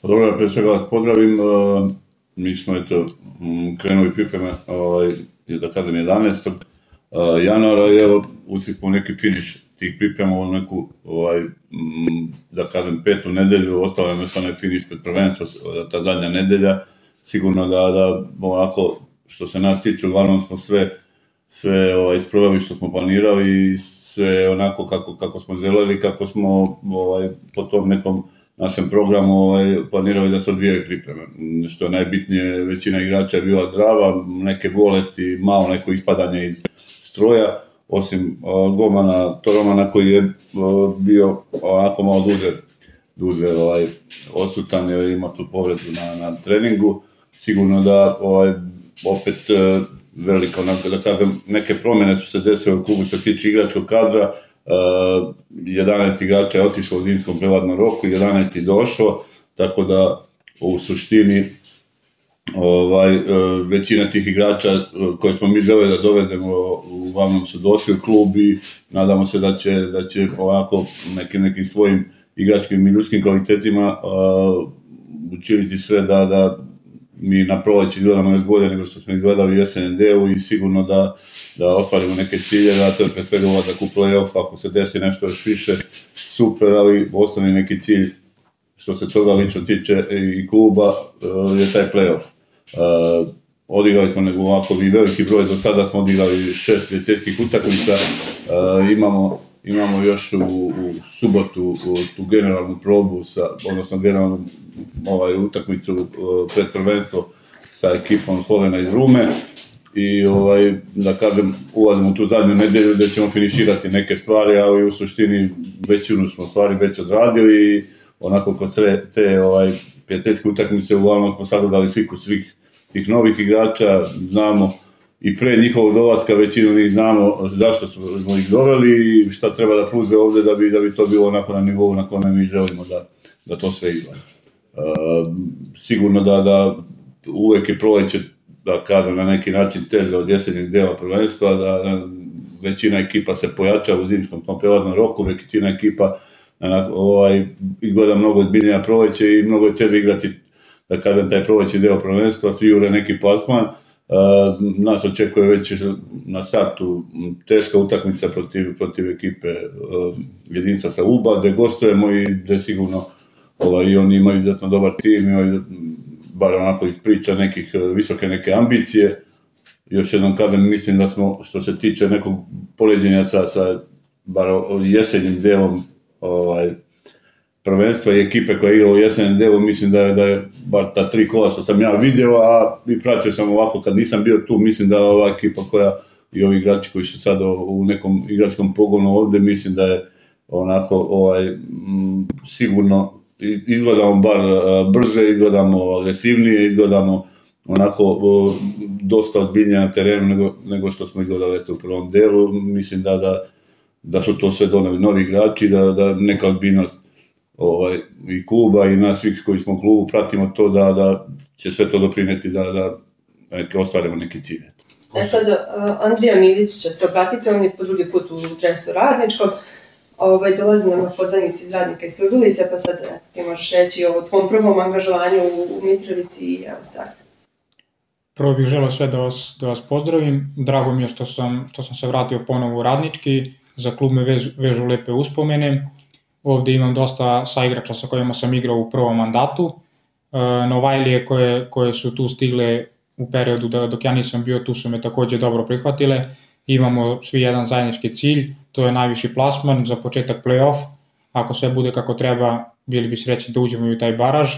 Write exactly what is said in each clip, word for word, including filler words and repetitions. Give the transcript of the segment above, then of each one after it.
Dobro, prije svega vas pozdravim. Mi smo eto krenuli pripreme, ovaj, da kažem, jedanaestog januara i evo ušli smo u neki finiš tih priprema, u neku, ovaj, da kažem, petu nedelju, ostalo je još onaj finiš pred prvenstvo, ta zadnja nedelja. Sigurno da, da ovako, što se nas tiče, uglavnom smo sve, sve ovaj, isprovali što smo planirali i sve onako kako, kako smo želeli, kako smo ovaj, po tom nekom našem programu ovaj, planirali da se odvijaju pripreme. Što je najbitnije, većina igrača je bila zdrava, neke bolesti, malo neko ispadanje iz stroja, osim uh, golmana Toromana koji je uh, bio onako malo duže, duže ovaj, odsutan jer ima tu povredu na, na treningu. Sigurno da ovaj, opet uh, velika, onako, da kažem, neke promjene su se desile u klubu što se tiče igračkog kadra. Uh, jedanaest igrača je otišlo u zimskom prevladnom roku, jedanaest je došlo, tako da u suštini ovaj, uh, većina tih igrača koje smo mi želeli da dovedemo uglavnom su došli u klub i nadamo se da će, da će ovako nekim, nekim svojim igračkim i ljudskim kvalitetima uh, učiniti sve da, da mi na proleće gledamo još bolje nego što smo ih gledali u S N D-u i sigurno da, da ostvarimo neke ciljeve, a to je pre svega ulazak u play-off, ako se desi nešto još više, super, ali osnovni neki cilj što se toga lično tiče i kluba je taj play-off. Uh, odigrali smo nego ovako i veliki broj, do sada smo odigrali šest prijateljskih utakmica, uh, imamo, imamo još u, u subotu u, tu generalnu probu, sa, odnosno generalnu ovaj, utakmicu uh, pred prvenstvo sa ekipom Slovena iz Rume i ovaj, da kažem ulazimo u tu zadnju nedelju gdje ćemo finiširati neke stvari, ali u suštini većinu smo stvari već odradili i onako kod te, te ovaj, prijateljske utakmice uglavnom smo sagledali sliku svih tih novih igrača, znamo i pre njihovog dolaska većinu njih znamo zašto smo ih doveli i šta treba da pruže ovdje da bi, da bi to bilo onako na nivou na kome mi želimo da, da to sve izgleda. Uh, sigurno da, da uvek je proleće, da kažem, na neki način teže od jesenjeg dela prvenstva, da, da većina ekipa se pojača u zimskom tom prelaznom roku, većina ekipa ovaj, izgleda mnogo ozbiljnija proleće i mnogo je teže igrati, da kažem, taj proleći deo prvenstva, svi jure neki plasman. Uh, nas očekuje već na startu teška utakmica protiv, protiv ekipe uh, Jedinstva sa Uba, gde gostujemo i gde sigurno ovaj, i oni imaju izuzetno dobar tim, imaju bar onako iz priča nekih visoke neke ambicije. Još jednom kažem, mislim da smo, što se tiče nekog poređenja sa, sa bar jesenjim delom ovaj, prvenstva i ekipe koja je igrala u S N D-u, mislim da je, da je bar ta tri kola što sam ja vidio, a i pratio sam ovako kad nisam bio tu, mislim da ova ekipa koja i ovi igrači koji su sad u nekom igračkom pogonu ovdje, mislim da je onako ovaj, m, sigurno izgledamo bar brže, izgledamo agresivnije, izgledamo onako o, dosta ozbiljnije na terenu nego, nego što smo izgledali u prvom delu. Mislim da, da, da su to sve doneli novi igrači, da, da neka ozbiljnost ovaj, i kluba i nas svih koji smo u klubu pratimo to da, da će sve to doprineti da, da neke, ostvarimo neke cilje. E sad, Andrija Milić će se obratiti, on je po drugi put u dresu Radničkog. Ovaj, dolazi nam na pozajmicu iz Radnika i Surdulice, pa sad eto, ti možeš reći o tvom prvom angažovanju u, u Mitrovici i evo sad. Prvo bih želeo sve da vas, da vas pozdravim. Drago mi je što sam, što sam se vratio ponovo u Radnički. Za klub me vežu, vežu lepe uspomene. Ovdje imam dosta saigrača sa kojima sam igrao u prvom mandatu. E, Novajlije koje, koje su tu stigle u periodu da, dok ja nisam bio tu su me također dobro prihvatile. Imamo svi jedan zajednički cilj, to je najviši plasman za početak play-off. Ako sve bude kako treba, bili bi srećni da uđemo u taj baraž.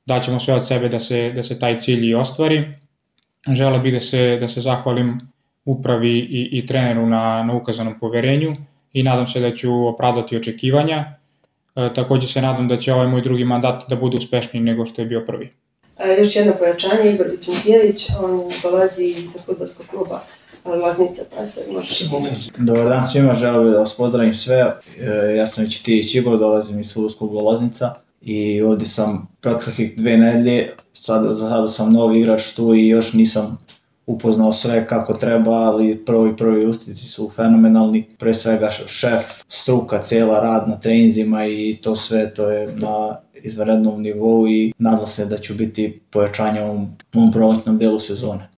Daćemo sve od sebe da se, da se taj cilj i ostvari. Želeo bih da se, da se zahvalim upravi i, i treneru na, na ukazanom poverenju i nadam se da ću opravdati očekivanja. E, također se nadam da će ovaj moj drugi mandat da bude uspešniji nego što je bio prvi. E, još jedno pojačanje, Igor Vičentijelić, on dolazi iz fudbalskog kluba Loznica, pa se možeš i pomoći. Dobar dan svima, želeo bih da vas pozdravim sve. E, ja sam Vičentijević Igor, dolazim iz fudbalskog kluba Loznica i ovdje sam proteklih dve nedelje, sada, za sada sam novi igrač tu i još nisam upoznao sve kako treba, ali prvi prvi ustici su fenomenalni. Pre svega šef, struka, cijela rad na treninzima i to sve, to je na izvanrednom nivou i nadam se da ću biti pojačanje u ovom proletnom delu sezone.